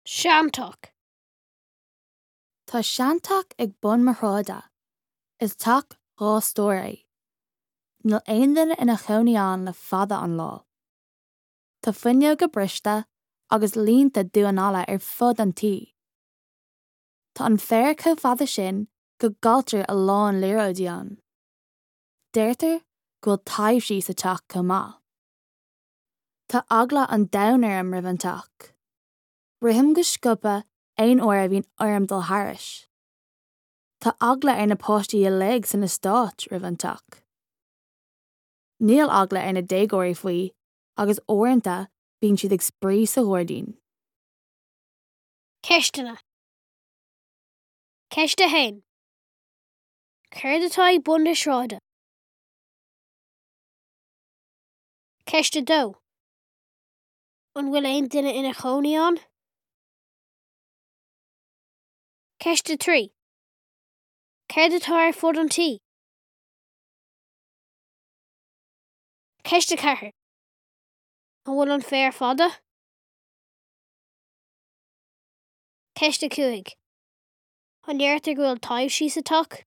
Seanteach. Tá seanteach ag bun mo shráide. Is teach dha stór é. Níl aon duine ina chónaí ann le fada an lá. Tá fuinneoga briste agus línte dubh analla ar fud an tí. Tá an féar chomh fada sin go gcailltear a lán liathróidí ann. Deirtear go bhfuil taibhsí sa teach chomh maith. Tá eagla an domhain orm roimh an teach. Rithim go sciobtha aon uair a bhíonn orm dul thairis. Tá eagla ar na páistí uilig san eastát roimh an teach. Níl eagla ar na déagóirí faoi agus uaireanta bíonn siad ag spraoi sa ghairdín. Ceisteanna. Ceist 1. Céard atá ag bun na sráide? Ceist 2. An bhfuil aon duine ina chónaí ann? Ceist 3. Céard atá ar fud an tí? Ceist 4. An bhfuil an féar fada? Ceist 5. An ndeirtear go bhfuil taibhsí sa teach?